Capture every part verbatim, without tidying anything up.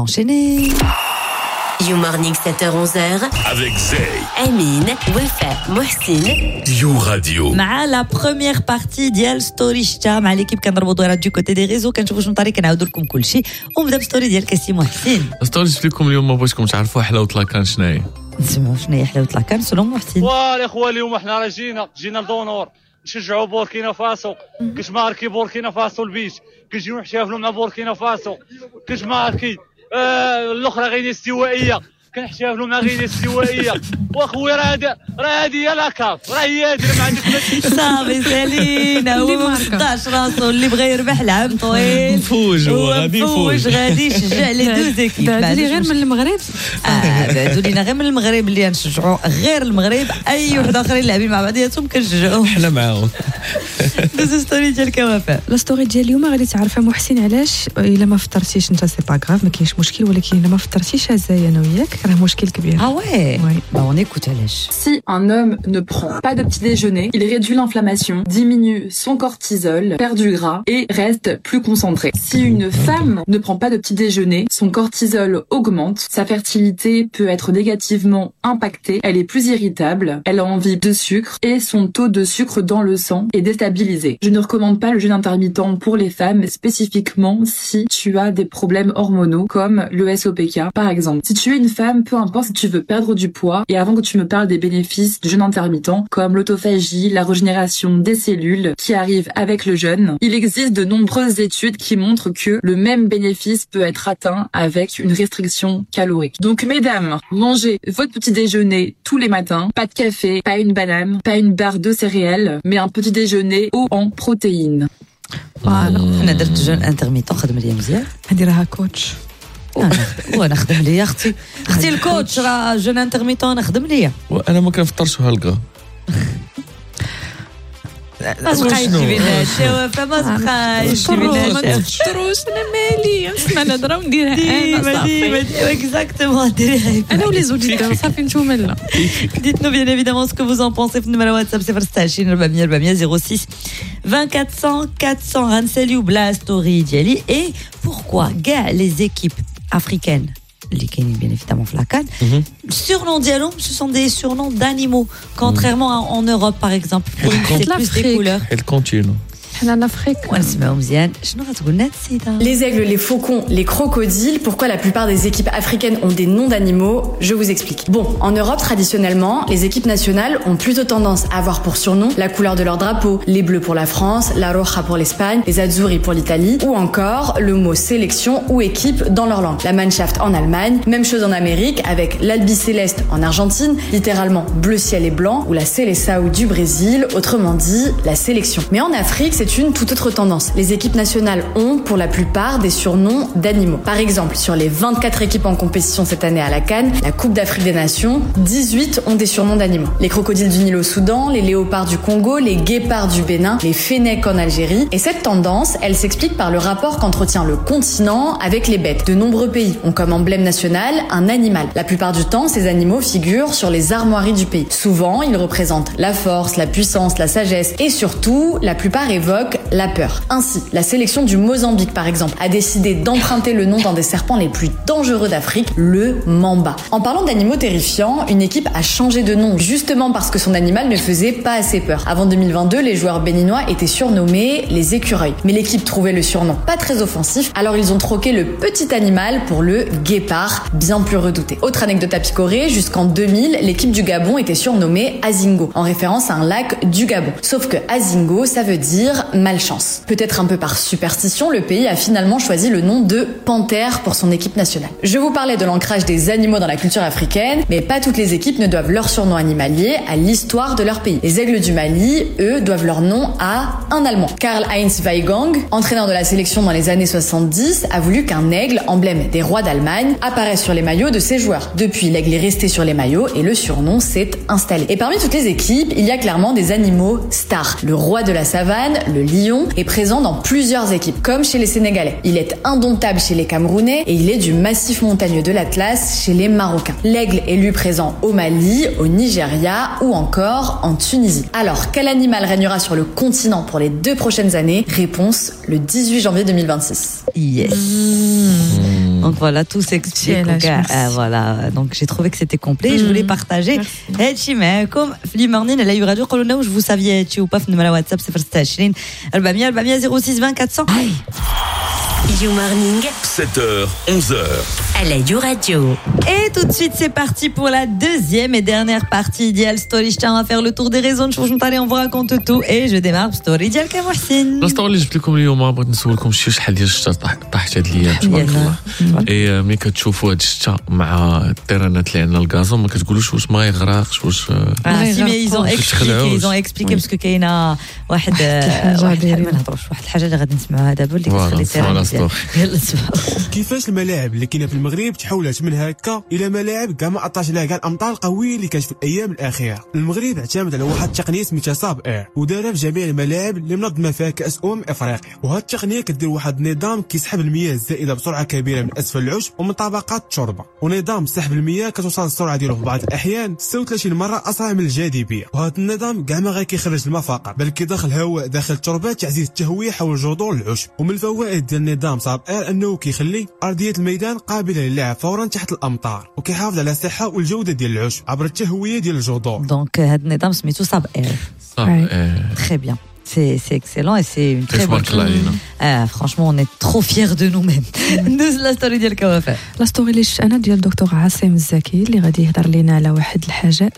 Enchaîné. You Morning sept heures onze heures avec Zay. Amine, Wafa, Mohsin. You Radio. مع la première partie ديال story شتا مع l'équipe، كنضربوا دويرات du côté des réseaux، كنشوفوا شنو طاري، كنعاودوا لكم كل شيء. ونبدا ب story ديال كاسي محسن. story جبت لكم اليوم، بغيتكم تعرفوا حلاوة la CAN شنو هي. نسمعوا شنو هي حلاوة la CAN selon محسن. والاخوه، اليوم حنا راه جينا جينا لدونور نشجعوا بوركينا فاسو. كتماركي بوركينا فاسو البيت، كنجيو نحتفلوا مع بوركينا فاسو. كتماركي آه الاخرى غينيا استوائيه، كنحتفلوا مع غينيا الاستوائيه. واخويا راه هذا راه هذه هي la CAF، راه هي هذه، ما عندك ما صافي سالينا. هو ما صدعش راسو، اللي بغى يربح العام طويل. مفوج هو، غادي مفوج. يفوج. غادي يشجع les deux équipes. بعدوا لي غير من المغرب. اه، بعدوا لينا غير من المغرب، اللي نشجعوا غير المغرب، اي وحده اخرين لاعبين مع بعضياتهم كنشجعوهم. حنا معاهم. دوزو story ديالك وفاء. la story ديال اليوم غادي تعرفها محسن علاش الا ما فطرتيش انت c'est pas grave، ما كاينش مشكل، ولكن الا ما فطرتيش زي انا وياك راه مشكل كبير. اه ouais. Oui. Bah on écoute علاش. Si un homme ne prend pas de petit déjeuner, il réduit l'inflammation, diminue son cortisol, perd du gras et reste plus concentré. Si une femme ne prend pas de petit déjeuner, son cortisol augmente, sa fertilité peut être négativement impactée, elle est plus irritable, elle a envie de sucre et son taux de sucre dans le sang est déstabilisé. Je ne recommande pas le jeûne intermittent pour les femmes, spécifiquement si tu as des problèmes hormonaux comme le S O P K par exemple. Si tu es une femme, peu importe si tu veux perdre du poids et avant que tu me parles des bénéfices du jeûne intermittent comme l'autophagie, la régénération des cellules qui arrive avec le jeûne, il existe de nombreuses études qui montrent que le même bénéfice peut être atteint avec une restriction calorique. Donc mesdames, mangez votre petit déjeuner tous les matins, pas de café, pas une banane, pas une barre de céréales, mais un petit déjeuner haut en protéines. Voilà. انا درت jeûne intermittent، خدم ليا مزيان. هذه راها coach. أنا- وانا خدم ليا اختي، اختي ال coach، راه jeûne intermittent انا خدم ليا. وانا ما كنفطرش هالكا. ما تبقايش تجيبي لنا هادشي وفاء، ما تبقايش تجيبي لنا ما هادشي. تفطروش، انا مالي، نسمع الهضرة ونديرها انا. ديما. صافي. ديما exactement، ديريها. انا و les auditeurs، صافي نتوما لا. Dites-nous bien évidemment ce que vous en pensez في النمرة واتساب صفر ستة وعشرين أربعمية أربعمية صفر ستة أربعة وعشرين أربعمية أربعمية. غنساليو ب la story ديالي et pourquoi كاع les équipes africaines اللي كاينين bien évidemment في la CAN، surnom ديالهم ce sont des surnoms d'animaux، contrairement à en Europe par exemple، c'est plus des l'Afrique. couleurs. حيت ال continent. حنا l'Afrique. ونسمعوا مزيان شنو غتقول لنا هاد السيده. Les aigles, les faucons, les crocodiles, pourquoi la plupart des équipes africaines ont des noms d'animaux? Je vous explique. Bon, en Europe, traditionnellement, les équipes nationales ont plutôt tendance à avoir pour surnom la couleur de leur drapeau. Les Bleus pour la France, la Roja pour l'Espagne, les Azzurri pour l'Italie, ou encore le mot sélection ou équipe dans leur langue. La Mannschaft en Allemagne, même chose en Amérique avec l'Albiceleste en Argentine, littéralement bleu ciel et blanc, ou la Seleção du Brésil, autrement dit la sélection. Mais en Afrique, c'est une toute autre tendance. Les équipes nationales ont, pour la plupart, des surnoms d'animaux. Par exemple, sur les vingt-quatre équipes en compétition cette année à la CAN, la Coupe d'Afrique des Nations, dix-huit ont des surnoms d'animaux. Les crocodiles du Nil au Soudan, les léopards du Congo, les guépards du Bénin, les fennecs en Algérie. Et cette tendance, elle s'explique par le rapport qu'entretient le continent avec les bêtes. De nombreux pays ont comme emblème national un animal. La plupart du temps, ces animaux figurent sur les armoiries du pays. Souvent, ils représentent la force, la puissance, la sagesse et surtout, la plupart évoquent la peur. Ainsi, la sélection du Mozambique, par exemple, a décidé d'emprunter le nom d'un des serpents les plus dangereux d'Afrique, le mamba. En parlant d'animaux terrifiants, une équipe a changé de nom justement parce que son animal ne faisait pas assez peur. Avant deux mille vingt-deux, les joueurs béninois étaient surnommés les écureuils. Mais l'équipe trouvait le surnom pas très offensif, alors ils ont troqué le petit animal pour le guépard, bien plus redouté. Autre anecdote à picorer, jusqu'en deux mille, l'équipe du Gabon était surnommée Azingo, en référence à un lac du Gabon. Sauf que Azingo, ça veut dire malchance. Peut-être un peu par superstition, le pays a finalement choisi le nom de Panthère pour son équipe nationale. Je vous parlais de l'ancrage des animaux dans la culture africaine, mais pas toutes les équipes ne doivent leur surnom animalier à l'histoire de leur pays. Les Aigles du Mali, eux, doivent leur nom à un Allemand. Karl-Heinz Weigang, entraîneur de la sélection dans les années soixante-dix, a voulu qu'un aigle, emblème des rois d'Allemagne, apparaisse sur les maillots de ses joueurs. Depuis, l'aigle est resté sur les maillots et le surnom s'est installé. Et parmi toutes les équipes, il y a clairement des animaux stars. Le roi de la savane, le le lion, est présent dans plusieurs équipes, comme chez les Sénégalais. Il est indomptable chez les Camerounais et il est du massif montagneux de l'Atlas chez les Marocains. L'aigle est lui présent au Mali, au Nigeria ou encore en Tunisie. Alors, quel animal régnera sur le continent pour les deux prochaines années? Réponse le dix-huit janvier deux mille vingt-six. Yes. Mmh. Donc voilà, tout s'explique. Ah, voilà, donc j'ai trouvé que c'était complet. Mmh. Je voulais partager. هادشي معاكم في le morning على You Radio. قولوا لنا واش vous saviez هادشي ou pas في النمرة واتساب صفر ستة وعشرين أربعمية أربعمية صفر ستة أربعين أربعمية. You Morning, sept heures, onze heures. À la You Radio. Et tout de suite, c'est parti pour la deuxième et dernière partie ديال Story. Je tiens à faire le tour des réseaux. نشوف شنو on vous raconte tout. Et je démarre Story ديالك يا محسن. La story اللي جبت لكم اليوم بغيت نسولكم شي شحال ديال الشتا طاحت هاد الايام تبارك الله. اي ملي كتشوفوا هاد الشتا مع التيرانات اللي عندنا ال gazon ما كتقولوش واش ما يغرقش واش. اه si mais ils ont expliqué ils ont expliqué parce que كاينه واحد واحد ما نهضروش واحد الحاجة اللي غادي نسمعوها دابا اللي كتخلي ال terrain. كيفاش الملاعب اللي كاينه في المغرب تحولت من هكا الى ملاعب كاع ما عطاش عليها كاع الامطار القوية اللي كانت في الايام الاخيرة. المغرب اعتمد على واحد التقنية سميتها SABER ودارها في جميع الملاعب اللي منظمة فيها كاس امم افريقيا. وهاد التقنية كدير واحد النظام كيسحب المياه الزائدة بسرعة كبيرة من اسفل العشب ومن طبقات التربة، ونظام سحب المياه كتوصل السرعة ديالو في بعض الاحيان ستة وثلاثين مرة اسرع من الجاذبية. وهذا النظام كاع ما غير كيخرج الماء فقط، بل كيدخل هواء داخل التربة تعزيز التهويه حول جذور العشب. ومن الفوائد ديال النظام SABER انه كيخلي ارضية الميدان قابله للعب فورا تحت الامطار، وكيحافظ على الصحة والجودة ديال العشب عبر التهويه ديال الجذور. donc هذا النظام سميتو SABER. SABER très bien. C'est, c'est excellent et c'est une très bonne chose. Ah, franchement, on est trop fiers de nous-mêmes. ندوز la story ديالك وفاء. la story اللي شفت انا ديال الدكتور عاصم الزكي اللي غادي يهضر لينا على واحد الحاجة،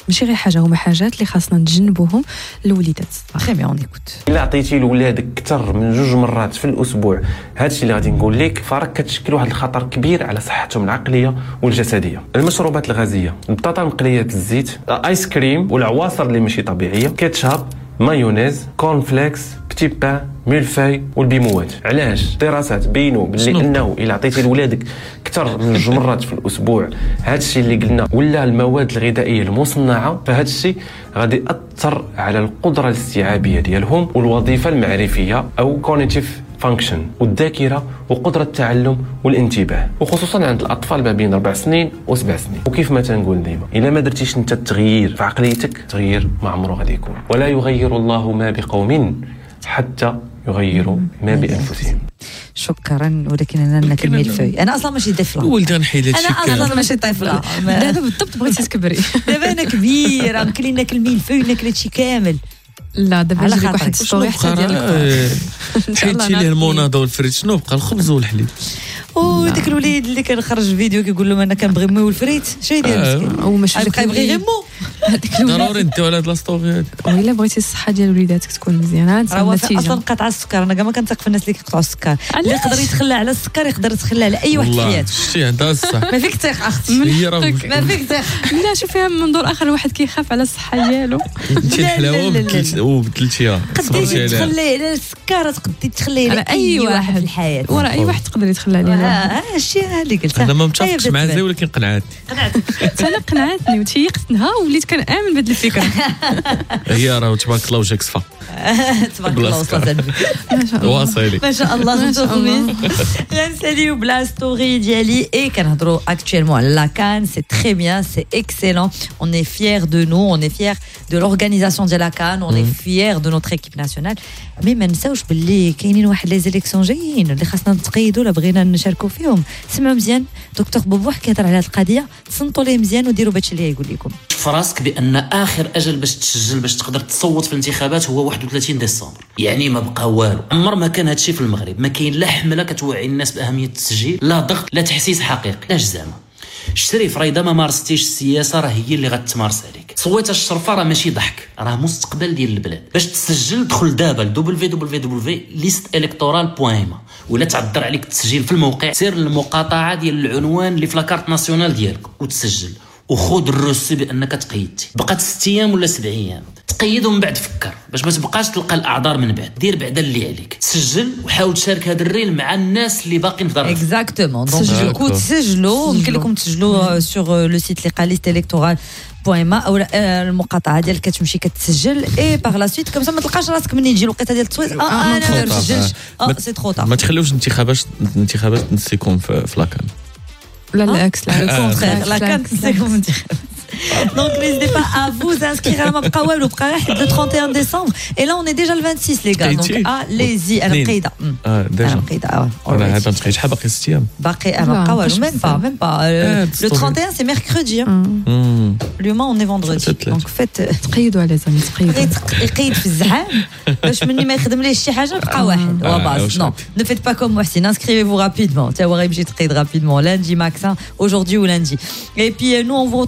ماشي غير حاجة، هما حاجات اللي خاصنا نتجنبوهم للوليدات. très bien on écoute. الا عطيتي لولادك اكثر من جوج مرات في الاسبوع هادشي اللي غادي نقول لك، فراك كتشكل واحد الخطر كبير على صحتهم العقلية والجسدية. المشروبات الغازية، البطاطا المقليه بالزيت، الايس كريم والعواصر اللي ماشي طبيعية، كاتشاب، مايونيز، cornflakes، petit pain، mille-feuille والبيموات. علاش؟ دراسات بينوا باللي انه الا عطيتي لولادك اكثر من جوج مرات في الاسبوع هادشي اللي قلنا ولا المواد الغذائية المصنعة، فهادشي غادي ياثر على القدرة الاستيعابيه ديالهم والوظيفة المعرفيه او cognitive function والذاكرة وقدره التعلم والانتباه، وخصوصا عند الاطفال ما بين اربع سنين وسبع سنين. وكيف ما تنقول ديما، الا ما درتيش انت التغيير في عقليتك، التغيير ما عمره غادي يكون. ولا يغير الله ما بقوم حتى يغيروا ما بانفسهم. شكرا، ولكن انا ناكل ميلفوي. انا اصلا ماشي طفله، ولدي غنحيد هادشي انا اصلا ماشي طفله. دابا بالضبط بغيتي تكبري. دابا انا كبيرة يمكن لي ناكل ميلفوي ناكل هادشي كامل. لا دابا نجيب لك واحد story حتى ديال حيدتي ليه المونادا والفريت، شنو بقى؟ الخبز والحليب. وداك الوليد اللي كنخرج فيديو كيقول لهم انا كنبغي مي والفريت، شنو يدير مسكين؟ وماشي كيبغي غير مو. ضروري نديو على هاد la story هادي. وإلا بغيتي الصحة ديال وليداتك تكون مزيانه النتيجة اصلا قطع السكر. انا كاع ما كنثق في الناس اللي كيقطعوا السكر. اللي يقدر يتخلى على السكر يقدر يتخلى على اي واحد في حياته. شتي عندها الصح، ما فيك ثق اختي، ما فيك ثق. لا شوفيها من منظور اخر، الواحد كيخاف على الصحة ديالو. انت الحلاوة وبدلتيها، قديتي تخلي على السكر، تقدي تخلي على اي واحد في الحياة، وراه اي واحد تقدر يتخلى عليه. اه الشيء اللي قلت انا ما متفقش مع زي، ولكن قنعتني. قنعتك انا قنعتني وتيقتنها وليت كنامن بهذه الفكرة. هي راه تبارك الله وجهك صفا. تبارك الله وصلت النبي ما شاء الله، واصلي ما شاء الله. خمسة غنساليو ب la story ديالي. اي كنهضروا actuellement على la CAN. c'est très bien, c'est excellent, on est fiers de nous, on est fiers de l'organisation ديال la CAN, on est fiers de notre équipe nationale. mais ما نساوش باللي كاينين واحد les élections جايين اللي خاصنا نتقيدوا لا بغينا نشاركوا فيهم. سمعوا مزيان دكتور بوبوح كيهضر على هذه القضية، تصنتوا ليه مزيان وديروا بهادشي اللي يقول لكم. في راسك بان اخر اجل باش تسجل باش تقدر تصوت في الانتخابات هو واحد وثلاثين ديسمبر، يعني ما بقى والو. عمر ما كان هادشي في المغرب، ما كاين لا حمله كتوعي الناس باهمية التسجيل، لا ضغط، لا تحسيس حقيقي. علاش زعما الشريف راه اذا ما مارستيش السياسة راه هي اللي غتمارس عليك. صويت الشرفة راه ماشي ضحك، راه مستقبل ديال البلاد. باش تسجل دخل دابا ل دبليو دبليو دبليو دوت ليست إلكتورال دوت ما، ولا تعذر عليك التسجيل في الموقع، سير للمقاطعه ديال العنوان اللي في la carte nationale ديالك وتسجل. وخذ ال reçu بانك تقيدتي. بقات ست ايام ولا سبع ايام، تقيد ومن بعد فكر باش ما تبقاش تلقى الاعذار من بعد. دير بعدا اللي عليك، سجل وحاول تشارك هذا ال reel مع الناس اللي باقيين في دار. Exactement. Donc du coup تسجلوا، يمكن لكم تسجلوا sur le site اللي قال liste électorale point ma او المقاطعة ديالك، كتمشي كتسجل et par la suite comme ça ما تلقاش راسك منين يجي الوقيته ديال التصويت اه انا ما نسجلش، اه c'est trop tard. ما تخليوش الانتخابات الانتخابات تنسيكم في la CAN. لا العكس، le contraire، la CAN تنسيكم الانتخابات. Donc n'hésitez pas à vous inscrire. ما بقى والو، بقى غير le trente et un décembre et là on est déjà le vingt-six les gars، donc allez-y. انا مقيده. اه déjà؟ انا مقيده. اه انا هذا نتقيد. شحال باقي؟ ست ايام. باقي ما بقى والو، même pas، même pas. le trente et un c'est mercredi، اليوم on est vendredi، donc faites تقيدوا les amis، تقيدوا. يقيد في الزحام باش مني ما يخدم ليه شي حاجة بقى واحد وباس. Non, ne faites pas comme محسن، inscrivez-vous rapidement. تا هو غيمشي تقيد rapidement lundi max، aujourd'hui ou lundi. Et puis nous on vous